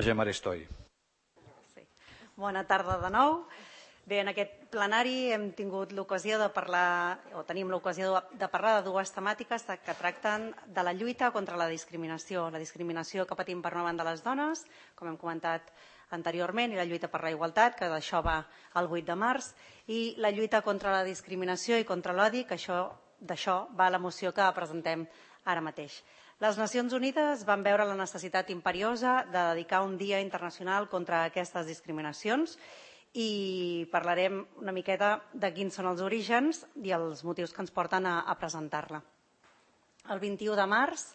Gemma Aristoi. Bona tarda de nou. Bé, en aquest plenari hem tingut l'ocasió de parlar, o tenim l'ocasió de parlar de dues temàtiques que tracten de la lluita contra la discriminació que patim per una banda les dones, com hem comentat anteriorment, i la lluita per la igualtat, que d'això va el 8 de març, i la lluita contra la discriminació i contra l'odi, que d'això va la moció que presentem ara mateix. Les Nacions Unides van veure la necessitat imperiosa de dedicar un dia internacional contra aquestes discriminacions i parlarem una miqueta de quins són els orígens i els motius que ens porten a presentar-la. El 21 de març,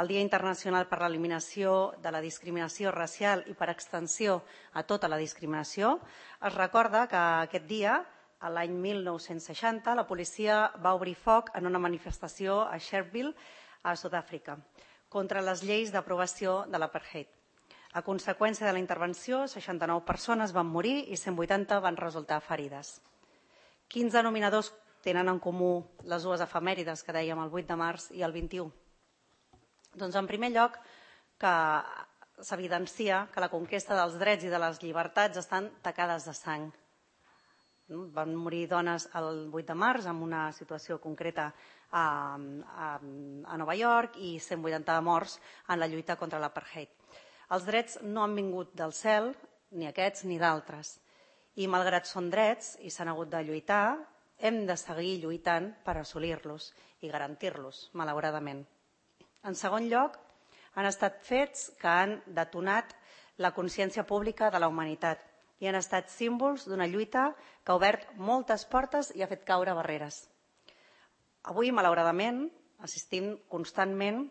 el Dia Internacional per l'Eliminació de la Discriminació Racial i per extensió a tota la discriminació, es recorda que aquest dia, l'any 1960, la policia va obrir foc en una manifestació a Sharpeville, a Sud-àfrica, contra les lleis d'aprovació de l'apartheid. A conseqüència de la intervenció, 69 persones van morir i 180 van resultar ferides. Quins denominadors tenen en comú les dues efemèrides que dèiem el 8 de març i el 21? Doncs, en primer lloc, que s'evidencia que la conquesta dels drets i de les llibertats estan tacades de sang. Van morir dones el 8 de març en una situació concreta a Nova York i 180 morts en la lluita contra l'apartheid. Els drets no han vingut del cel, ni aquests ni d'altres. I malgrat són drets i s'han hagut de lluitar, hem de seguir lluitant per assolir-los i garantir-los, malauradament. En segon lloc, han estat fets que han detonat la consciència pública de la humanitat i han estat símbols d'una lluita que ha obert moltes portes i ha fet caure barreres. Avui, malauradament, assistim constantment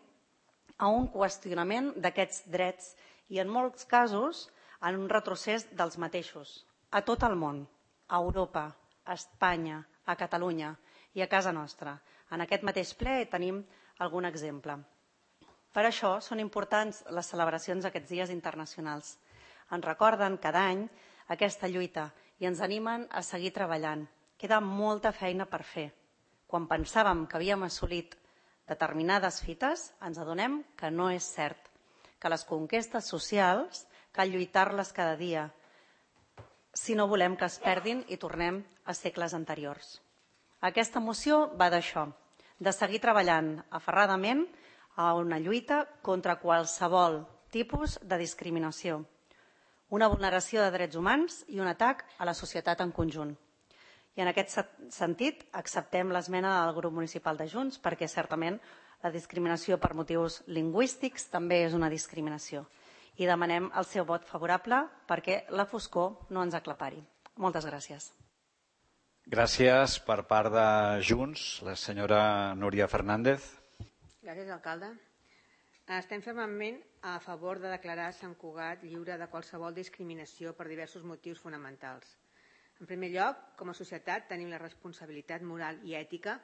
a un qüestionament d'aquests drets i, en molts casos, en un retrocés dels mateixos, a tot el món, a Europa, a Espanya, a Catalunya i a casa nostra. En aquest mateix ple tenim algun exemple. Per això són importants les celebracions d'aquests dies internacionals. Ens recorden cada any aquesta lluita i ens animen a seguir treballant. Queda molta feina per fer. Quan pensàvem que havíem assolit determinades fites, ens adonem que no és cert, que les conquestes socials cal lluitar-les cada dia, si no volem que es perdin i tornem a segles anteriors. Aquesta moció va d'això, de seguir treballant aferradament a una lluita contra qualsevol tipus de discriminació, una vulneració de drets humans i un atac a la societat en conjunt. I en aquest sentit acceptem l'esmena del grup municipal de Junts perquè certament la discriminació per motius lingüístics també és una discriminació. I demanem el seu vot favorable perquè la foscor no ens aclapari. Moltes gràcies. Gràcies per part de Junts, la senyora Núria Fernández. Gràcies, alcalde. Estem fermament a favor de declarar Sant Cugat lliure de qualsevol discriminació per diversos motius fonamentals. En primer lloc, com a societat tenim la responsabilitat moral i ètica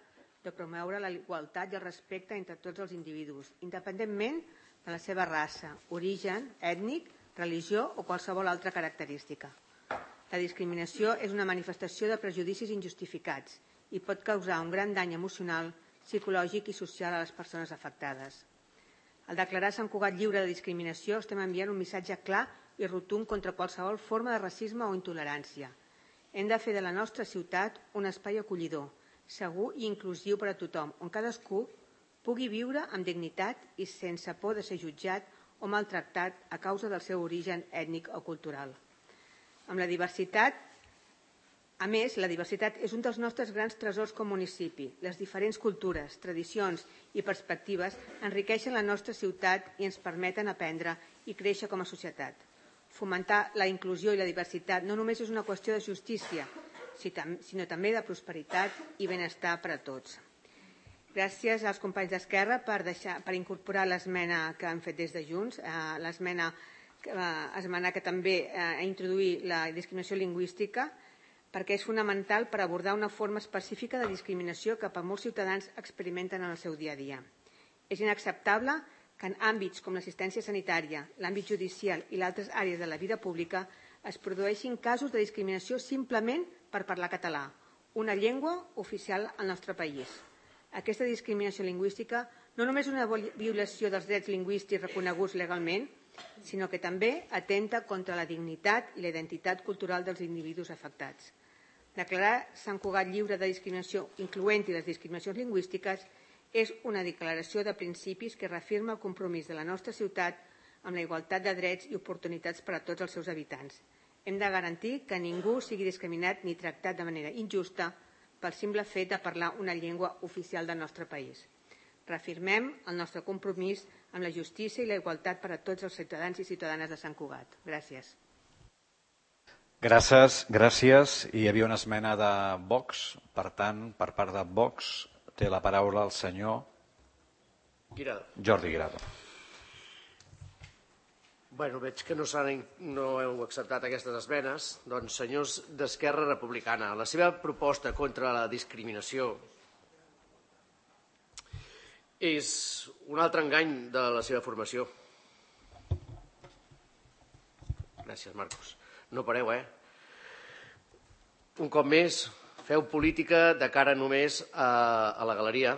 de promoure la igualtat i el respecte entre tots els individus, independentment de la seva raça, origen, ètnic, religió o qualsevol altra característica. La discriminació és una manifestació de prejudicis injustificats i pot causar un gran dany emocional, psicològic i social a les persones afectades. Al declarar Sant Cugat lliure de discriminació estem enviant un missatge clar i rotund contra qualsevol forma de racisme o intolerància. Hem de fer de la nostra ciutat un espai acollidor, segur i inclusiu per a tothom, on cadascú pugui viure amb dignitat i sense por de ser jutjat o maltractat a causa del seu origen ètnic o cultural. Amb la diversitat, a més, la diversitat és un dels nostres grans tresors com a municipi. Les diferents cultures, tradicions i perspectives enriqueixen la nostra ciutat i ens permeten aprendre i créixer com a societat. Fomentar la inclusió i la diversitat no només és una qüestió de justícia, sinó també de prosperitat i benestar per a tots. Gràcies als companys d'Esquerra per incorporar l'esmena que han fet des de Junts, l'esmena que també introduir la discriminació lingüística, perquè és fonamental per abordar una forma específica de discriminació que molts ciutadans experimenten en el seu dia a dia. És inacceptable que en àmbits com l'assistència sanitària, l'àmbit judicial i altres àrees de la vida pública es produeixin casos de discriminació simplement per parlar català, una llengua oficial al nostre país. Aquesta discriminació lingüística no només és una violació dels drets lingüístics reconeguts legalment, sinó que també atenta contra la dignitat i la identitat cultural dels individus afectats. Declarar Sant Cugat lliure de discriminació, incloent-hi les discriminacions lingüístiques, és una declaració de principis que reafirma el compromís de la nostra ciutat amb la igualtat de drets i oportunitats per a tots els seus habitants. Hem de garantir que ningú sigui discriminat ni tractat de manera injusta pel simple fet de parlar una llengua oficial del nostre país. Reafirmem el nostre compromís amb la justícia i la igualtat per a tots els ciutadans i ciutadanes de Sant Cugat. Gràcies. Gràcies. Hi havia una esmena de Vox. Per tant, per part de Vox, té la paraula el senyor Jordi Guirado. Bueno, veig que no heu acceptat aquestes esmenes. Doncs, senyors d'Esquerra Republicana, la seva proposta contra la discriminació és un altre engany de la seva formació. Gràcies, Marcos. No pareu, Un cop més, feu política de cara només a la galeria.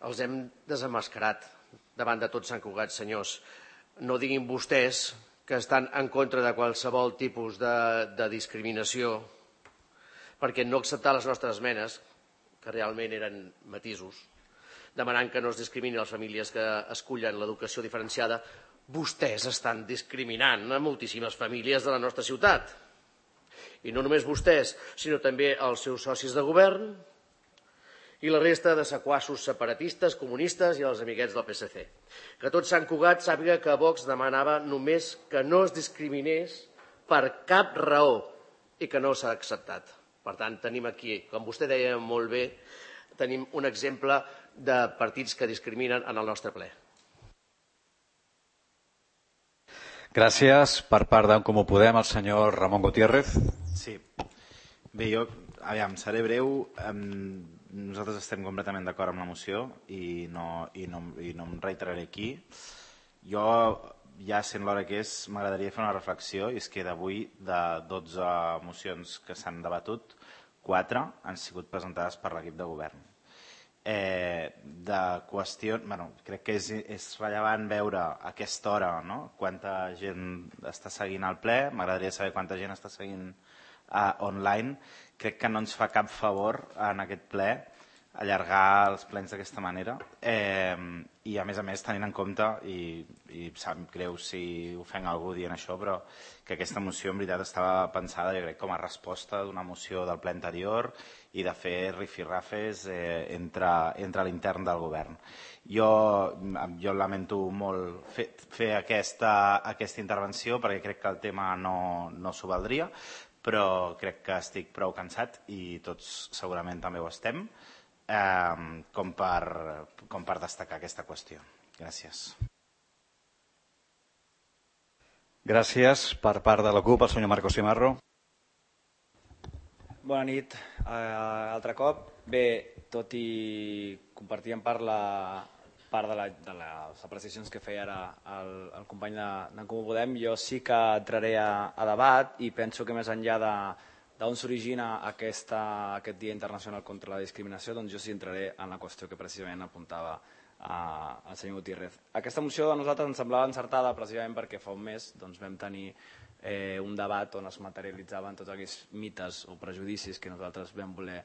Els hem desemmascarat davant de tot Sant Cugat, senyors. No diguin vostès que estan en contra de qualsevol tipus de discriminació perquè no acceptar les nostres esmenes, que realment eren matisos, demanant que no es discrimini les famílies que escullen l'educació diferenciada, vostès estan discriminant a moltíssimes famílies de la nostra ciutat. I no només vostès, sinó també els seus socis de govern i la resta de sequassos separatistes, comunistes i els amiguets del PSC. Que tot Sant Cugat sàpiga que Vox demanava només que no es discriminés per cap raó i que no s'ha acceptat. Per tant, tenim aquí, com vostè deia molt bé, tenim un exemple de partits que discriminen en el nostre ple. Gràcies. Per part d'en Comú Podem, el senyor Ramon Gutiérrez. Sí. Bé, jo, seré breu. Nosaltres estem completament d'acord amb la moció i no em reiteraré aquí. Jo, ja sent l'hora que és, m'agradaria fer una reflexió, i és que d'avui, de 12 mocions que s'han debatut, 4 han sigut presentades per l'equip de govern. Crec que és rellevant veure a aquesta hora quanta gent està seguint el ple. M'agradaria saber quanta gent està seguint online. Crec que no ens fa cap favor en aquest ple allargar els plens d'aquesta manera i a més tenint en compte, i em sap greu si ofenc algú dient això, però que aquesta moció en veritat estava pensada, jo crec, com a resposta d'una moció del ple anterior i de fer rifirrafes entre l'intern del govern. Jo lamento molt fer aquesta intervenció perquè crec que el tema no s'ho valdria, però crec que estic prou cansat i tots segurament també ho estem, com per destacar aquesta qüestió. Gràcies. Gràcies. Per part de la CUP, el senyor Marcos Cimarro. Bona nit, altre cop. Bé, tot i compartir en part de les apreciacions que feia ara el company d'en Comú Podem, jo sí que entraré a debat i penso que més enllà d'on s'origina aquest Dia Internacional contra la Discriminació, doncs jo sí entraré en la qüestió que precisament apuntava el senyor Gutiérrez. Aquesta moció a nosaltres ens semblava encertada precisament perquè fa un mes vam tenir un debat on es materialitzaven tots aquells mites o prejudicis que nosaltres vam voler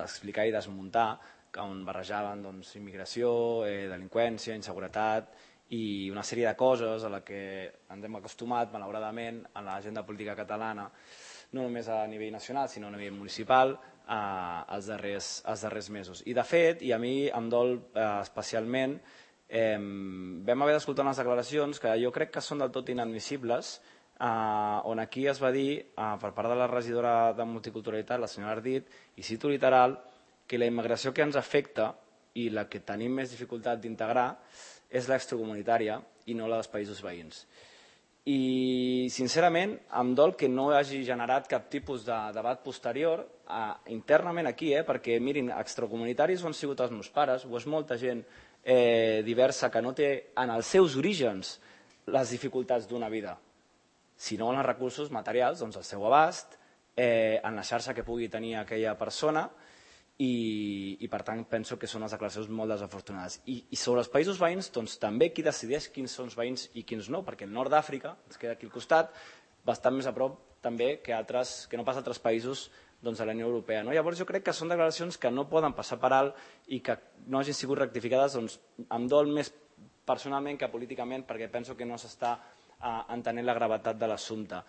explicar i desmuntar, on barrejaven immigració, delinqüència, inseguretat i una sèrie de coses a les que ens hem acostumat, malauradament, en l'agenda política catalana, no només a nivell nacional, sinó a nivell municipal, els darrers mesos. I de fet, i a mi em dol especialment, vam haver d'escoltar unes declaracions que jo crec que són del tot inadmissibles, on aquí es va dir, per part de la regidora de Multiculturalitat, la senyora Ardit, i cito literal, que la immigració que ens afecta i la que tenim més dificultat d'integrar és l'extracomunitària i no la dels països veïns. I, sincerament, em dol que no hagi generat cap tipus de debat posterior internament aquí, perquè, mirin, extracomunitaris ho han sigut els meus pares, o és molta gent diversa que no té en els seus orígens les dificultats d'una vida, sinó en els recursos materials, doncs al seu abast, en la xarxa que pugui tenir aquella persona, i per tant penso que són unes declaracions molt desafortunades. I sobre els països veïns, doncs també qui decideix quins són els veïns i quins no, perquè el nord d'Àfrica, ens queda aquí al costat, bastant més a prop també que no pas altres països de la Unió Europea. Llavors jo crec que són declaracions que no poden passar per alt i que no hagin sigut rectificades, em dol més personalment que políticament, perquè penso que no s'està entenent la gravetat de l'assumpte.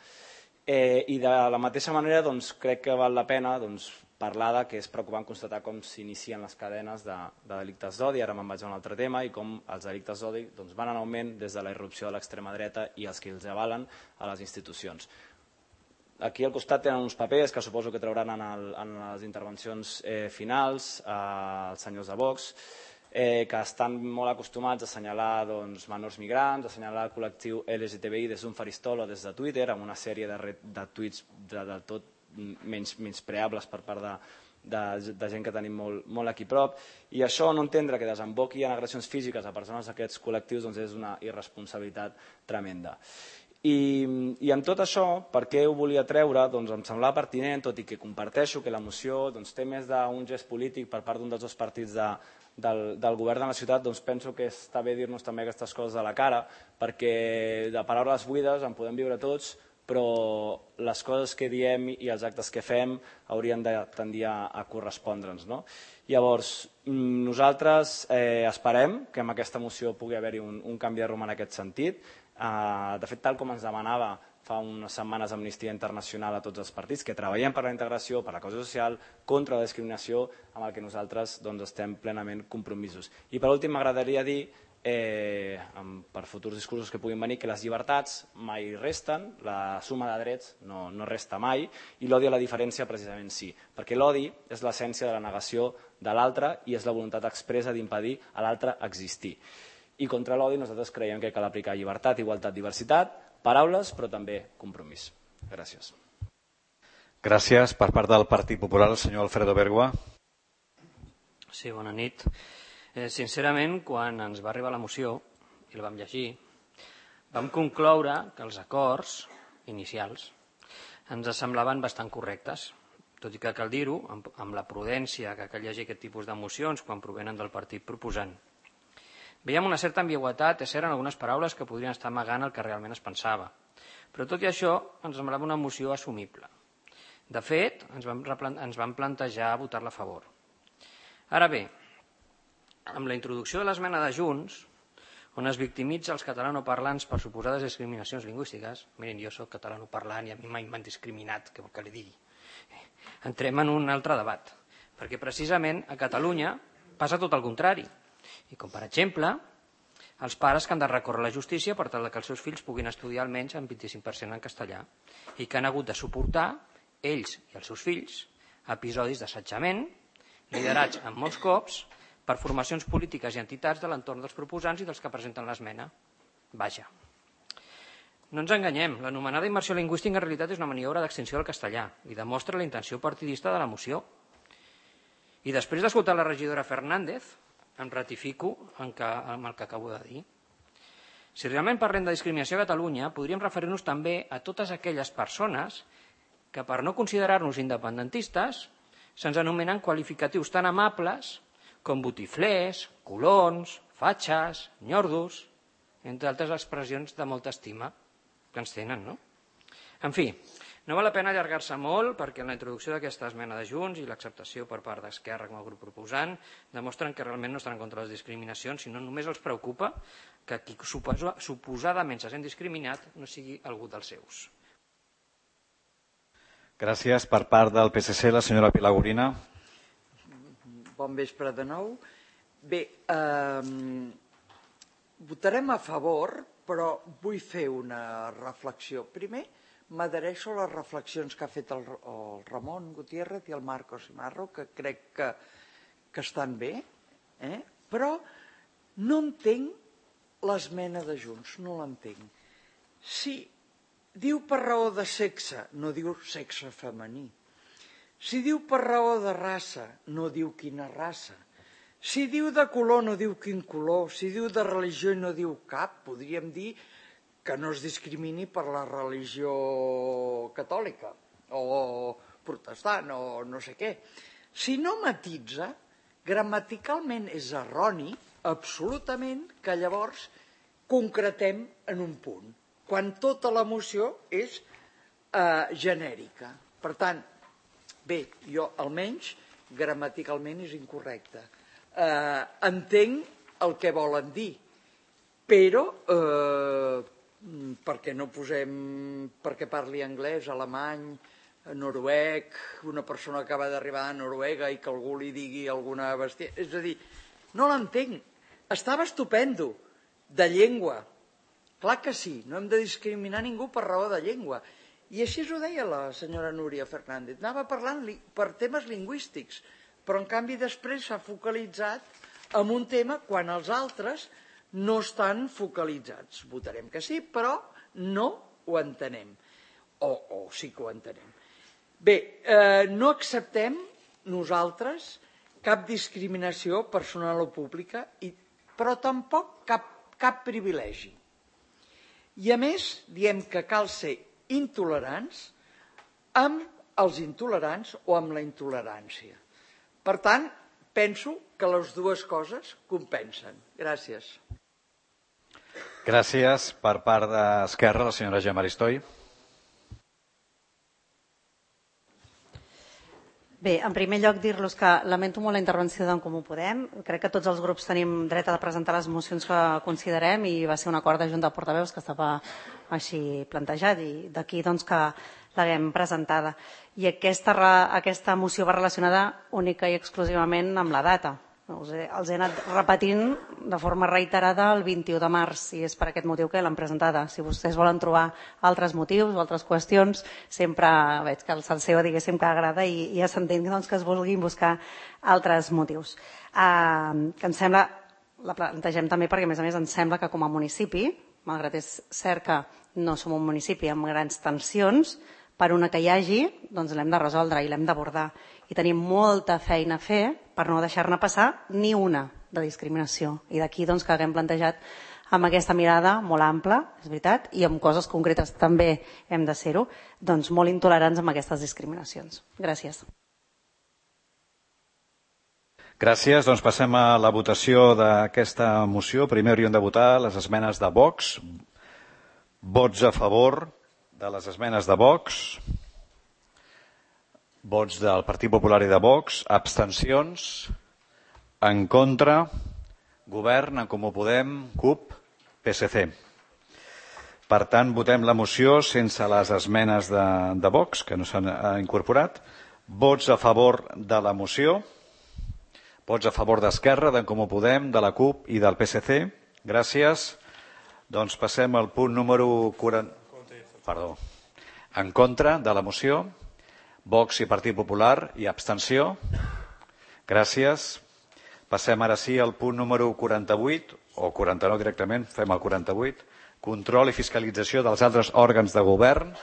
I de la mateixa manera crec que val la pena parlar que és preocupant constatar com s'inicien les cadenes de delictes d'odi, ara me'n vaig a un altre tema, i com els delictes d'odi van en augment des de la irrupció de l'extrema dreta i els que els avalen a les institucions. Aquí al costat tenen uns papers que suposo que trauran en les intervencions finals els senyors de Vox, que estan molt acostumats a assenyalar menors migrants, a assenyalar el col·lectiu LGTBI des d'un faristol o des de Twitter, amb una sèrie de tuits del tot menyspreables per part de gent que tenim molt aquí prop. I això, no entendre que desemboqui en agressions físiques a persones d'aquests col·lectius, és una irresponsabilitat tremenda. I amb tot això, per què ho volia treure? Em semblava pertinent, tot i que comparteixo que la moció té més d'un gest polític per part d'un dels dos partits del govern de la ciutat, penso que està bé dir-nos també aquestes coses a la cara, perquè de paraules buides en podem viure tots, però les coses que diem i els actes que fem haurien de tendir a correspondre'ns. Llavors, nosaltres esperem que amb aquesta moció pugui haver-hi un canvi de rumb en aquest sentit. De fet, tal com ens demanava fa unes setmanes Amnistia Internacional a tots els partits, que treballem per la integració, per la cohesió social, contra la discriminació, amb el que nosaltres estem plenament compromisos. I per últim m'agradaria dir, per futurs discursos que puguin venir, que les llibertats mai resten, la suma de drets no resta mai, i l'odi a la diferència precisament sí, perquè l'odi és l'essència de la negació de l'altre i és la voluntat expressa d'impedir a l'altre existir. I contra l'odi nosaltres creiem que cal aplicar llibertat, igualtat, diversitat, paraules, però també compromís. Gràcies. Gràcies. Per part del Partit Popular, el senyor Alfredo Bergua. Sí, bona nit. Sincerament, quan ens va arribar la moció i la vam llegir, vam concloure que els acords inicials ens semblaven bastant correctes, tot i que cal dir-ho amb la prudència que cal llegir aquest tipus de mocions quan provenen del partit proposant. Veiem una certa ambigüitat, és cert, en algunes paraules que podrien estar amagant el que realment es pensava, però tot i això ens semblava una moció assumible. De fet, ens vam plantejar votar-la a favor. Ara bé, amb la introducció de l'esmena de Junts, on es victimitza els catalanoparlants per suposades discriminacions lingüístiques, miren, jo soc catalanoparlant i a mi mai m'han discriminat, què vol que li digui? Entrem en un altre debat, perquè precisament a Catalunya passa tot el contrari. I com, per exemple, els pares que han de recórrer a la justícia per tal que els seus fills puguin estudiar almenys en 25% en castellà i que han hagut de suportar, ells i els seus fills, episodis d'assetjament, liderats en molts cops per formacions polítiques i entitats de l'entorn dels proposants i dels que presenten l'esmena. Vaja. No ens enganyem, l'anomenada immersió lingüística en realitat és una maniobra d'extinció del castellà i demostra la intenció partidista de la moció. I després d'escoltar la regidora Fernández, em ratifico amb el que acabo de dir. Si realment parlem de discriminació a Catalunya, podríem referir-nos també a totes aquelles persones que, per no considerar-nos independentistes, se'ns anomenen qualificatius tan amables com botiflers, colons, fatxes, nyordos, entre altres expressions de molta estima que ens tenen, no? En fi, no val la pena allargar-se molt perquè en la introducció d'aquesta esmena de Junts i l'acceptació per part d'Esquerra com a grup proposant demostren que realment no estan en contra de les discriminacions, sinó només els preocupa que qui suposadament se sent discriminat no sigui algú dels seus. Gràcies. Per part del PSC, la senyora Pilar Gorina. Bon vespre de nou. Bé, votarem a favor, però vull fer una reflexió. Primer, m'adhereixo a les reflexions que ha fet el Ramon Gutiérrez i el Marcos Imarro, que crec que estan bé, però no entenc l'esmena de Junts, no l'entenc. Si diu per raó de sexe, no diu sexe femení. Si diu per raó de raça, no diu quina raça. Si diu de color, no diu quin color. Si diu de religió, no diu cap. Podríem dir que no es discrimini per la religió catòlica o protestant o no sé què. Si no matitza, gramaticalment és erroni, absolutament, que llavors concretem en un punt, quan tota la moció és genèrica. Per tant, bé, jo almenys gramaticalment és incorrecte. Entenc el que volen dir, però perquè no posem, perquè parli anglès, alemany, noruec, una persona que acaba d'arribar a Noruega i que algú li digui alguna bèstia. És a dir, no l'entenc. Estava estupendo, de llengua. Clar que sí, no hem de discriminar ningú per raó de llengua. I així ho deia la senyora Núria Fernández. Anava parlant per temes lingüístics, però en canvi després s'ha focalitzat en un tema quan els altres no estan focalitzats. Votarem que sí, però no ho entenem. O sí que ho entenem. Bé, no acceptem nosaltres cap discriminació personal o pública, però tampoc cap privilegi. I a més, diem que cal ser intolerants amb els intolerants o amb la intolerància. Per tant, penso que les dues coses compensen. Gràcies. Gràcies. Per part d'Esquerra, la senyora Gemma Aristoi. Bé, en primer lloc dir-los que lamento molt la intervenció d'en Comú Podem. Crec que tots els grups tenim dret a presentar les mocions que considerem i va ser un acord de Junta de Portaveus que estava així plantejat i d'aquí doncs, que l'haguem presentada. I aquesta moció va relacionada única i exclusivament amb la data. Els he anat repetint de forma reiterada el 21 de març i és per aquest motiu que l'han presentada. Si vostès volen trobar altres motius o altres qüestions, sempre veig que el salseo diguéssim que agrada i ja s'entén doncs, que es vulguin buscar altres motius. Que em sembla, la plantegem també perquè a més ens sembla que com a municipi, malgrat és cert que no som un municipi amb grans tensions, per una que hi hagi, doncs l'hem de resoldre i l'hem d'abordar. I tenim molta feina a fer per no deixar-ne passar ni una de discriminació. I d'aquí doncs, que haguem plantejat amb aquesta mirada molt ampla, és veritat, i amb coses concretes també hem de ser-ho, doncs molt intolerants amb aquestes discriminacions. Gràcies. Gràcies. Doncs passem a la votació d'aquesta moció. Primer hauríem de votar les esmenes de Vox. Vots a favor de les esmenes de Vox. Vots del Partit Popular i de Vox. Abstencions. En contra. Govern, en Comú Podem, CUP, PSC. Per tant, votem la moció sense les esmenes de Vox, que no s'han incorporat. Vots a favor de la moció. Vots a favor d'Esquerra, d'en Comú Podem, de la CUP i del PSC. Gràcies. Doncs passem al punt número 40. Perdó. En contra de la moció. Vox i Partit Popular i abstenció. Gràcies. Passem ara sí al punt número 48, o 49 directament, fem el 48. Control i fiscalització dels altres òrgans de govern.